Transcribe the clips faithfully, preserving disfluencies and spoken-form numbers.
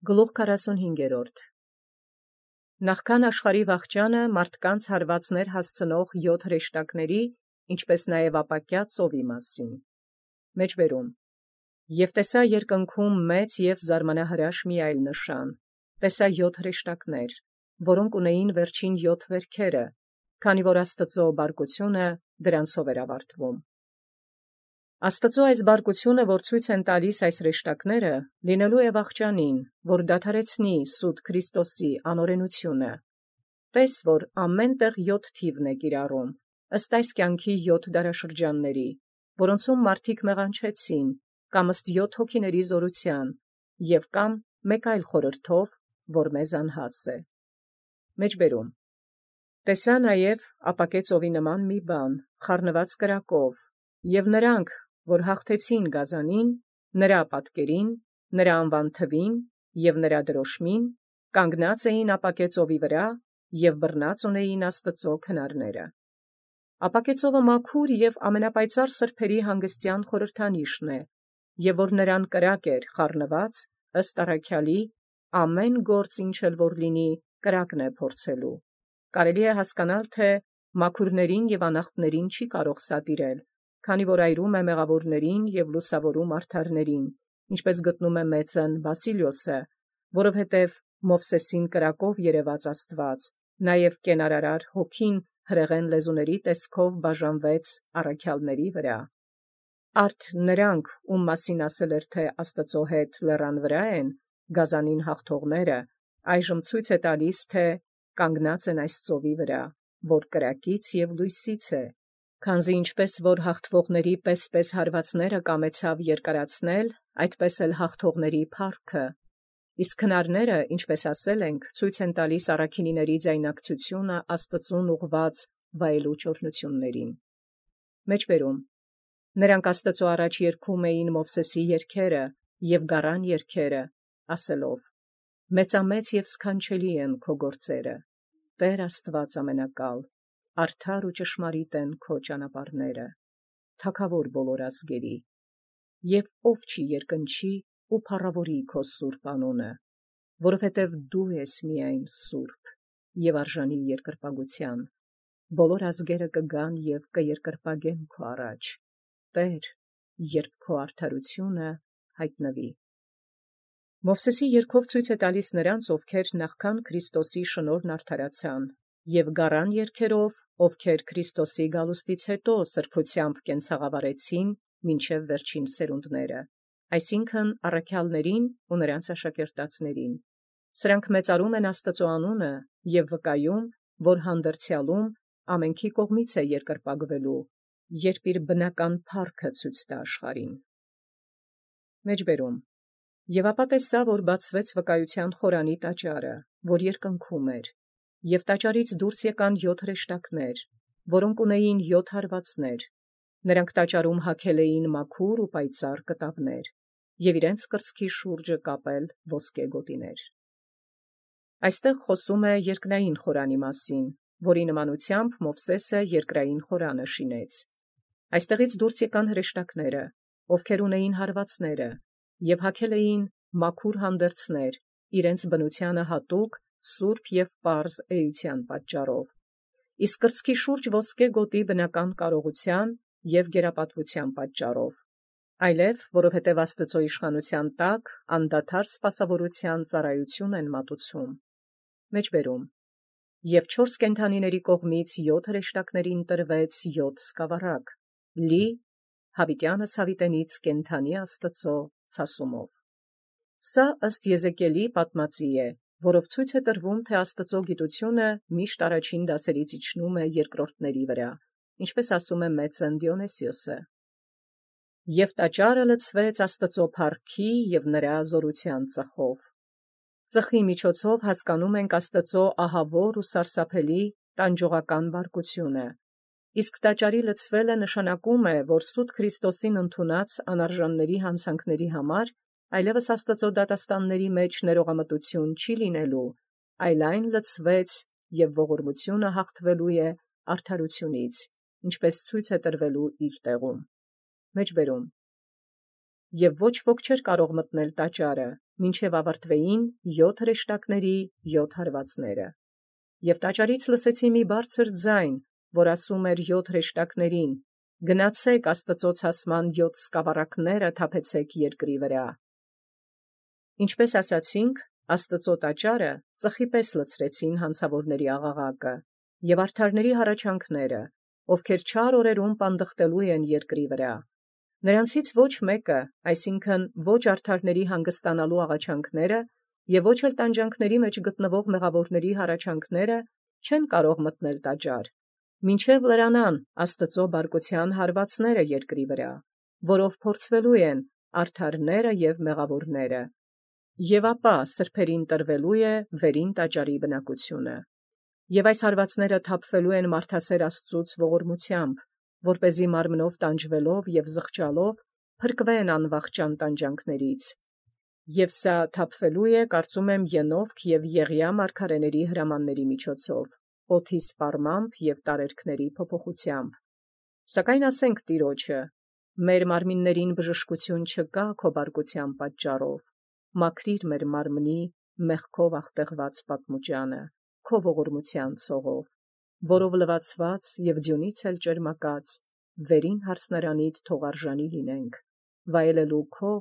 Գլուխ քառասունհինգ. Նախքան աշխարհի վախճանը մարդկանց հարվածներ հասցնող յոթ հրեշտակների, ինչպէս նաև ապակյա ծովի մասին։ Մեջբերում. Եւ տեսա երկնքում մեծ եւ զարմանահրաշ մի այլ նշան. տեսա յոթ հրեշտակներ, որոնք ունեին վերջին յոթ վերքերը, քանի որ Աստուծոյ բարկությունը դրանցով էր ավարտվում։ Աստուծոյ այս բարկությունը, որ ցույց են տալիս այս հրեշտակները, լինելու է վախճանին, որ դադարեցնի սուտ Քրիստոսի անօրենությունը։ Տես, որ ամեն տեղ յոթ թիվն է կիրառում, ըստ այս կյանքի յոթ դարաշրջանների, որոնցում մարդիկ մեղանչեցին, կամ ըստ յոթ հոգիների զորութեան, և կամ մեկ այլ խորհրդով, որ մեզ անհաս է։ Մեջբերում. տեսա նաև ապակե ծովի նման մի բան, խառնված կրակով, և նրանք, որ հաղթեցին գազանին, նրա պատկերին, նրա անվան թվին և նրա դրոշմին, կանգնած էին ապակե ծովի վրա և բռնած ունեին Աստուծոյ քնարները։ Ապակե ծովը մաքուր և ամենապայծառ սրբերի հանգստեան խորհրդանիշն է, և որ նրան կրակ էր խառնված, ըստ առաքյալի, ամեն գործ ինչ էլ որ լինի, կրակն է փորձելու։ Կարելի է հասկանալ, թե մաքուրներին և անախտներին չի կարող սատիրել, քանի որ այրում է մեղավորներին և լուսավորում արդարներին, ինչպես գտնում է մեծն Վասիլիոսը, որովհետև Մովսեսին կրակով երևաց Աստուած, նաև կենարարար հոգին հրեղեն լեզուների տեսքով բաժանվեց առաքյալների վրա։ Արդ նրանք, ում մասին ասել էր, թե Աստուծոյ հետ լեռան վրա են, գազանին հաղթողները, այժմ ցույց է տալիս, թե կանգնած են այս ծովի վրա, որ կրակից և լույսից է, քանզի ինչպես որ հաղթվողների պես-պես հարվածները կամեցավ երկարացնել, այդպես էլ հաղթողների փառքը։ Իսկ քնարները, ինչպես ասել ենք, ցույց են տալիս առաքինիների ձայնակցությունը Աստծուն ուղղված վայելուչ օրհնություններին։ Մեջբերում. նրանք Աստծու առաջ երգում էին Մովսեսի երգերը և գառան երգերը, ասելով. մեծամեծ և սքանչելի են քո գործերը, Տեր Աստված ամենակալ, արդար ու ճշմարիտ են քո ճանապարհները, Թագավոր բոլոր ազգերի, և ով չի երկնչի ու փառաւորի քո սուրբ անունը, որովհետև դու ես միայն սուրբ և արժանի երկրպագության, բոլոր ազգերը կգան և կերկրպագեն քո առաջ, Տեր, երբ քո արդարությունը յայտնվի։ Մովսեսի երգով ցույց է տալիս նրանց, ովքեր նախքան Քրիստոսի շնորհն արդարացան, և գառան երգերով, ովքեր Քրիստոսի գալուստից հետո սրբությամբ կենցաղավարեցին մինչև վերջին սերունդները, այսինքն առաքյալներին ու նրանց աշակերտածներին։ Սրանք մեծարում են Աստծու անունը և վկայում, որ հանդերձյալում ամենքի կողմից է երկրպագվելու, երբ իր բնական փառքը ցույց տա աշխարհին։ Մեջբերում. Եւ ապա տեսա, որ բացվեց վկայության խորանի տաճարը, որ երկնքում էր, և տաճարից դուրս եկան յոթ հրեշտակներ, որոնք ունեին յոթ հարվածներ. նրանք տաճարում հագել էին մաքուր ու պայծառ կտավներ, և իրենց կրծքի շուրջը կապել ոսկե գոտիներ։ Այստեղ խոսում է երկնային խորանի մասին, որի նմանությամբ Մովսեսը երկրային խորանը շինեց։ Այստեղից դուրս եկան հրեշտակները, ովքեր ունեին հարվածները, և հագել էին մաքուր հանդերձներ, իրենց բնությանը հատուկ սուրբ և պարզ էության պատճառով, իսկ կրծքի շուրջ ոսկե գոտի բնական կարողության և գերապատվության պատճառով, այլև որովհետև Աստծու իշխանության տակ անդադար սպասավորության ծառայություն են մատուցում։ Մեջբերում. Եւ չորս կենդանիների կողմից յոթ հրեշտակներին տրվեց յոթ սկավառակ, լի յաւիտյանս յաւիտենից կենդանի Աստուծոյ ցասումով։ Սա ըստ Եզեկիելի պատմածի է, որով ցույց է տրվում, թե Աստուծոյ գիտությունը միշտ առաջին դասերից իջնում է երկրորդների վրա, ինչպես ասում է մեծն Դիոնիսիոսը։ Եւ տաճարը լցվեց Աստուծոյ փառքի և նրա զորության ծխով։ Ծխի միջոցով հասկանում ենք Աստուծոյ ահավոր ու սարսափելի տանջողական բարկությունը, իսկ տաճարի լցվելը նշանակում է, որ սուտ Քրիստոսին ընդունած անարժանների հանցանքների համար այլևս Աստուծոյ դատաստանների մեջ ներողամտություն չի լինելու, այլ այն լցվեց և ողորմությունը հաղթվելու է արդարությունից, ինչպես ցույց է տրվելու իր տեղում։ Մեջբերում. Եվ ոչ ոք չէր կարող մտնել տաճարը, մինչև ավարտվեին յոթ հրեշտակների յոթ հարվածները։ Եւ տաճարից լսեցի մի բարձր ձայն, որ ասում էր յոթ հրեշտակներին. «Գնացեք Աստծոց հասման յոթ սկավառակները թափեցեք երկրի վրա»։ Ինչպես ասացինք, Աստծո տաճարը ծխի պես լցրեցին հանցավորների աղաղակը և արդարների հառաչանքները, ովքեր չար օրերուն պանդխտելու են երկրի վրա։ Նրանցից ոչ մեկը, այսինքն ոչ արդարների հանգստանալու աղաչանքները և ոչ էլ տանջանքների մեջ գտնվող մեղավորների հառաչանքները չեն կարող մտնել տաճար, մինչև լրանան Աստծո բարկության հարվածները երկրի վրա, որով փորձվելու են արդարները և մեղավորները, և ապա սրբերին տրվելու է վերին տաճարի բնակությունը։ Եւ այս հարվածները թափվելու են մարդասեր Աստծուց ողորմությամբ, որպեսզի մարմնով տանջվելով և զղջալով փրկվեն անվախճան տանջանքներից։ Եւ սա թափվելու է, կարծում եմ, Ենովք և Եղիա մարգարեների հրամանների միջոցով, օդի սպառմամբ և տարերքների փոփոխությամբ։ Սակայն ասենք Տիրոջը. «Մեր մարմիններին բժշկություն չկա քո բարկության պատճառով, մաքրիր մեր մարմնի մեղքով աղտեղված պատմուճանը քո ողորմության ցողով, որով լվացված և ձյունից էլ ճերմակած վերին յարսնարանիդ թող արժանի լինենք, վայելելու քո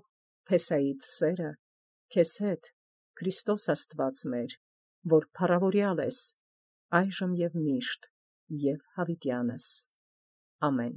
փեսայիդ սերը քեզ հետ, Քրիստոս Աստված մեր, որ փառաւորեալ ես այժմ և միշտ և յաւիտյանս. ամեն։